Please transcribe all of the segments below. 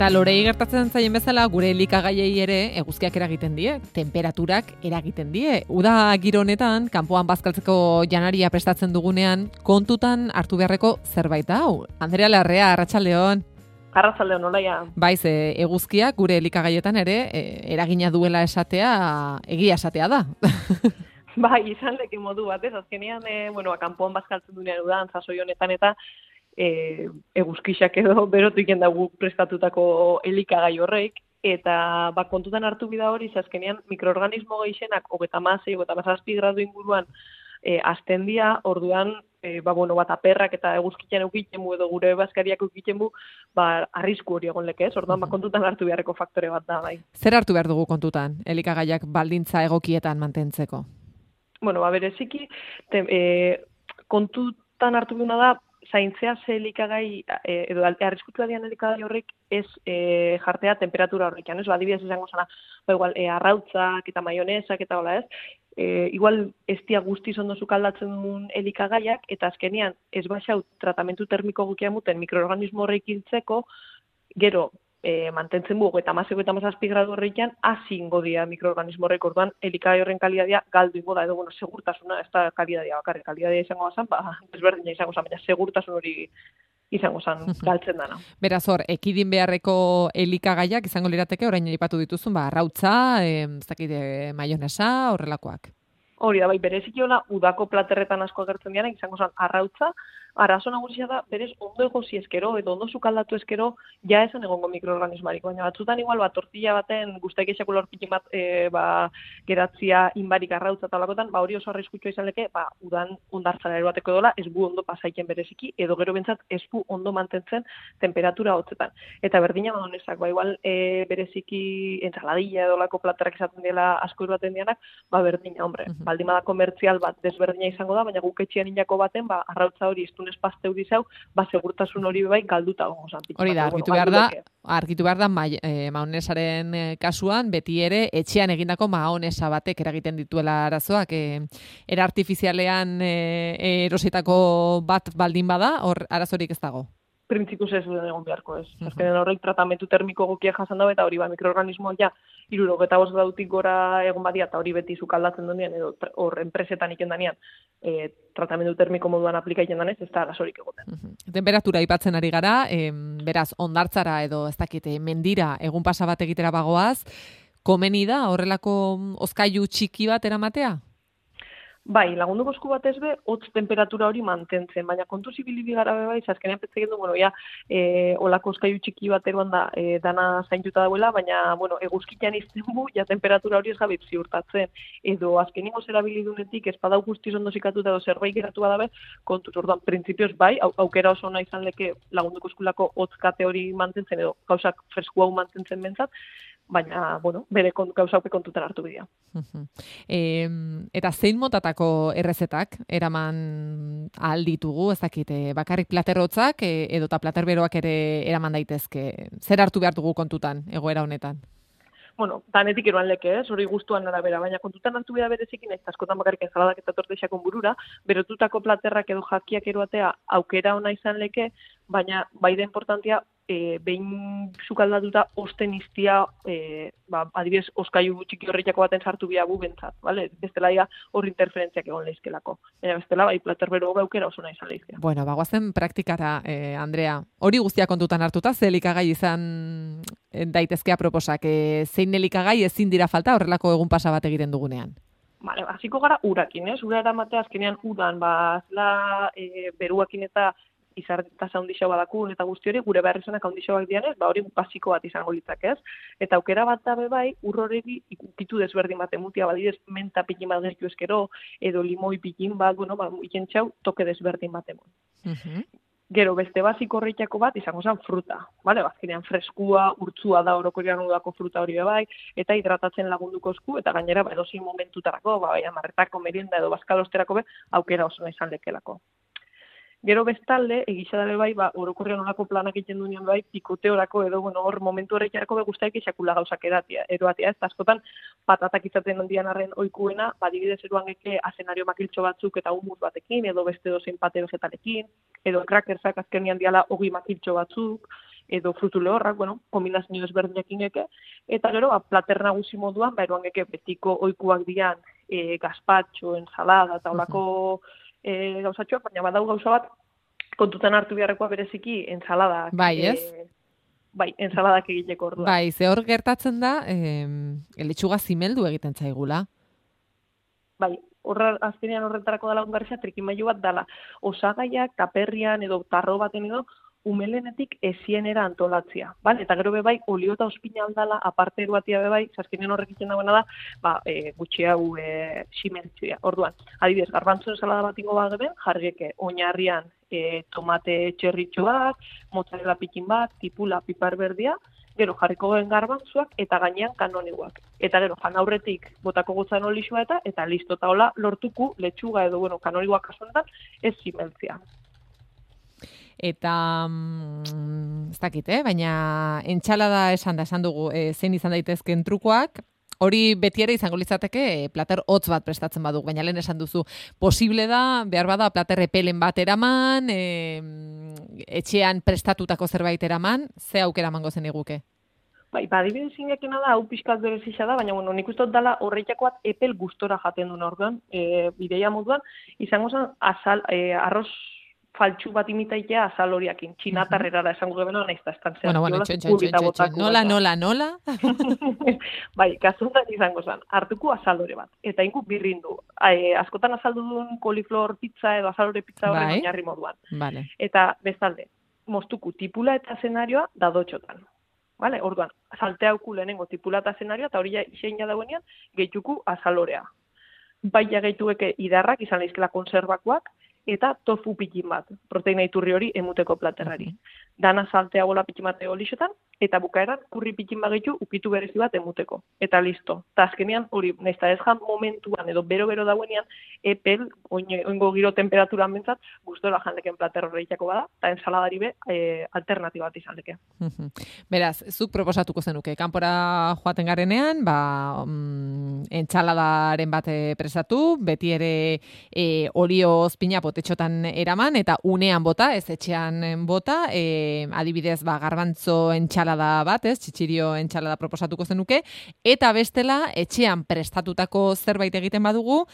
Eta lorei gertatzen zaien bezala gure elikagaiei ere eguzkiak eragiten die, temperaturak eragiten die. Uda giro honetan, kanpoan bazkaltzeko janaria prestatzen dugunean, kontutan hartu beharreko zerbait hau. Andrea Larrea, arratsaldeon. Arratsaldeon, olaia. Baiz, eguzkiak gure elikagaietan ere eragina duela esatea, egia esatea da. Bai, izan leke modu batez, azkenean, kanpoan bazkaltzen duenean udan, sasoi honetan eta eguzkixak edo berotu iken dugu prestatutako elikagai horrek, eta kontutan hartu bida hori, azkenean mikroorganismo gehienak 36-37 gradu inguruan azten dira, orduan aperrak eta eguzkitzen eukiten edo gure bazkariak eukiten arrisku hori egon leke, orduan kontutan hartu beharreko faktore bat da, bai. Zer hartu behar dugu kontutan, elikagaiak baldintza egokietan mantentzeko? Bereziki, kontutan hartu behuna da, zaintzea ze elikagai, edo arriskutua dian elikagai horrek ez jartea temperatura horrekan, ez? Adibidez izango zana, arrautzak eta maionesak eta hola, ez? Igual ez dia guztiz ondo sukaldatzen duen elikagaiak, eta azkenean ez baxau tratamentu termiko gukia muten mikroorganismo horrek hiltzeko, gero mantentzen bu, 36-37 gradu horrekan, azingo dia mikroorganismo horrek, orduan elikagai horren kalidadia galdu ingo da, edo segurtasuna, ez da kalidadia bakarrik, kalidadia izango zan, desberdina izango zan, baina segurtasun hori izango zan galtzen dana. Beraz hor, ekidin beharreko elikagaiak izango lirateke, orain aipatu dituzun, arrautza, maionesa, horrelakoak. Hori da, bereziki hola, udako platerretan asko agertzen dianak, izango zan arrautza, arazo nagusia da, berez ondo egozi eskero, edo ondo sukaldatu eskero, ja esan egongo mikroorganismarik, baina batzutan igual, tortilla baten, guztaik esakula horpikin bat, geratzia inbarik arrautza talakotan, hori oso arriskutsua izan leke, udan ondartzara eroateko dola, ez bu ondo pasaiken bereziki, edo gero bentsat ez bu ondo mantentzen temperatura hotzetan. Eta berdina madonesak, igual bereziki entsaladilla edo lako platerak izaten dela asko eroaten dianak, berdina, hombre, baldin bada komertzial bat desberdina izango da, baina guk etxean inako baten, arrautza hori iztunez pasteu dizau, segurtasun hori bai galduta gongo zan. Hori da, argitu behar da maonesaren kasuan, beti ere etxean egindako maonesa batek eragiten dituela arazoak, era artifizialean erositako bat baldin bada, hor arazorik ez dago. Printzipuz ez duen egon beharko ez. Azkenen horrek tratamentu termiko gokia jasan dago, eta hori mikroorganismoak ja 75 gradutik gora egon badia, eta hori beti sukaldatzen duenean, edo hor enpresetan iken danean, tratamentu termiko moduan aplikaiten danez, ez da arazorik egoten. Temperatura aipatzen ari gara, beraz, ondartzara edo ez dakite mendira egun pasa bat egitera bagoaz, komeni da horrelako hozkailu txiki bat eramatea? Bai, lagunduko esku batez be, hotz temperatura hori mantentzen, baina kontuz ibili gara bai, azkenean petzegen du, olako hozkailu txiki bat eroan da, dana zaintuta dauela, baina, eguzkitan izten bu, ja temperatura hori ez gabit ziurtatzen, edo azkenengo zerabilidunetik ez badau guztiz ondo zikatuta edo zerbait geratu badabe, kontuz, orduan, printzipioz bai, aukera oso ona izan leke lagunduko eskulako hotz kate hori mantentzen, edo gauzak fresku hau mantentzen bentsat, baina, bere gauzaupe kontutan hartu bidea. Eta zein motatako errezetak eraman ahal ditugu, ez dakit, bakarrik platerrotzak edota platerberoak ere eraman daitezke. Zer hartu behar dugu kontutan egoera honetan? Danetik eroan leke, hori guztuan arabera, baina kontutan hartu behar berezikin, ez askotan bakarrik enzaladak eta tortexakon burura, berotutako platerrak edo jakiak eroatea aukera ona izan leke, baina bai da importantia, behin sukaldatuta osten iztia, adibidez, oskailu txiki horretako baten sartu biagu bentsat, bestela hor interferentziak egon lehizkelako. Bestela, bai, platerbero aukera oso nahi izan lehizkea. Bagoazen praktikara, Andrea. Hori guztia kontutan hartuta, ze elikagai izan daitezkea proposak. Zein elikagai ezin dira falta horrelako egun pasa bat egiten dugunean? Hasiko gara urakin, ez? Ura eramatea azkenean udan, zela beruakin eta izartasa handixo badakun eta guzti hori, gure beharrizanak handixoak dianez, hori basiko bat izango litzak, ez? Eta aukera bat dabe bai, urroregi ikukitu desberdin bat emutia, badidez menta pikin bat gertu eskero, edo limoi pikin bat, ikentxau, toke desberdin bat emon. Gero, beste basiko horretako bat izango zen fruta, azkenean freskua, urtzua da orokorian udako fruta hori bai, eta hidratatzen lagunduko esku, eta gainera, edozein momentutarako, amarretako, merienda edo bazkalosterako aukera oso nahi izan lekelako. Gero bestalde, egizadale bai, orokorrean olako planak egiten duenean bai, pikoteorako edo, hor momentu horretarako guztaik esakula gauzak eroatea, ez da askotan patatak izaten handian arren oikuena, adibidez eruan geke azenario makiltxo batzuk eta humus batekin, edo beste dozein pate vegetalekin, edo krakersak azkenean diala ogi makiltxo batzuk, edo frutu lehorrak, kombinazio ezberdinak ingeke, eta gero, plater nagusi moduan, eroan geke betiko oikuak dian gazpatxo, ensalada, eta olako gauzatxoak, baina badau gauza bat, kontutan hartu beharrekoa bereziki ensaladak. Bai, ez? Bai, ensaladak egiteko orduan. Bai, ze hor gertatzen da, letxuga zimeldu egiten zaigula. Bai, azkenean horretarako dela ongarria trikimailu bat dela. Osagaiak, taperrian edo tarro baten edo, umelenetik ezienera antolatzia. Eta gero bebai, olio eta ospina aldala, aparte eruatia bebai, azkenean horrek itzen dagoena da, gutxi hau simentzia. Orduan, adibidez, garbantzuen salada bat ingo bageben, jargeke oinarrian tomate txerritxo bat, mozzarella pikin bat, tipula, pipar berdia, gero jarriko gen garbantzuak eta gainean kanoniguak. Eta gero jan aurretik botako gotzan olixua eta listo, eta hola lortuku letxuga edo kanoniguak kasuenetan ez simentzia. Eta, ez dakit, baina entxalada esan dugu zein izan daitezken trukoak, hori beti ere izango litzateke plater hotz bat prestatzen baduk, baina lehen esan duzu, posible da, behar bada plater epelen bat eraman, etxean prestatutako zerbait eraman, ze aukera emango zen iguke? Bai, adibidez ingekena da, hau pixkat berezisa da, baina nik uste dut dela horreitakoat epel gustora jaten duen orduan, bideia moduan, izango zen arroz faltsu bat imitaitea azal horiakin, txinatarrera da esango gebena, nahiz da estan zean. Nola? Bai, kasuan izango zen, hartuko azalore bat, eta inku birrindu. Askotan azaldu duen koliflor pizza edo azalore pizza horren oinarri moduan. Eta bestalde, moztuku tipula eta zenarioa dadotxotan. Orduan, salteauku lehenengo tipula eta zenarioa, eta hori iseina dauenean, gehituku azalorea. Baina gehitueke idarrak, izan leizkela konserbakoak, eta tofu pikin bat, proteina iturri hori emuteko platerrari. Dana saltea gola pikin bat olixotan, eta bukaeran kurri pikin bagitu ukitu berezi bat emuteko. Eta listo. Eta azkenean hori, nahiz ez jan momentuan edo bero-bero dauenean, epel, oingo giro temperaturan bentsat, gustora janleken plater horreitako bada, eta ensaladari be alternatiba bat izan leke. Beraz, zuk proposatuko zenuke, kanpora joaten garenean, entsaladaren bat prestatu, beti ere olio ozpina potetxotan eraman, eta unean bota, ez etxean bota, adibidez, garbantzo entxalada bat, txitxirio entxalada proposatuko zenuke, eta bestela, etxean prestatutako zerbait egiten badugu,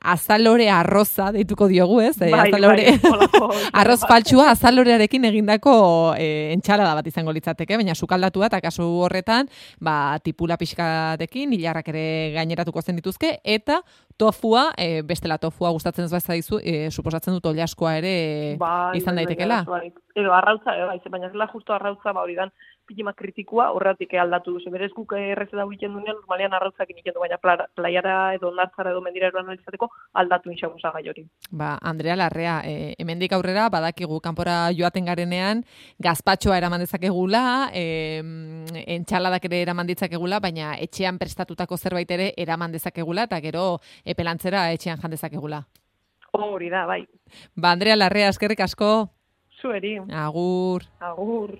azalore arroza deituko diogu, ez? Arroz faltsua azalorearekin egindako entxalada bat izango litzateke, baina sukaldatua eta kasu horretan, tipula pixkatekin, hilarrak ere gaineratuko zen dituzke, eta tofua, bestela tofua gustatzen ez bazaizu, suposatzen dut oliaskoa ere izan daitekela. Edo arrautza, baina ez la justo arrautza, hori dan pilima kritikua horretik aldatu duzu. Berez guk erreze dago egiten duenean, normalean arrautzak egiten du, baina plaiara edo nartzara edo mendira eroan analizateko aldatu inxaguza gai hori. Andrea Larrea, hemendik aurrera badakigu kanpora joaten garenean, gazpatxoa eraman dezakegula, entxaladak ere eraman ditzakegula, baina etxean prestatutako zerbait ere eraman dezakegula, eta gero epelantzera etxean jan dezakegula. Hori da, bai. Andrea Larrea, eskerrik asko. Zueri. Agur. Agur.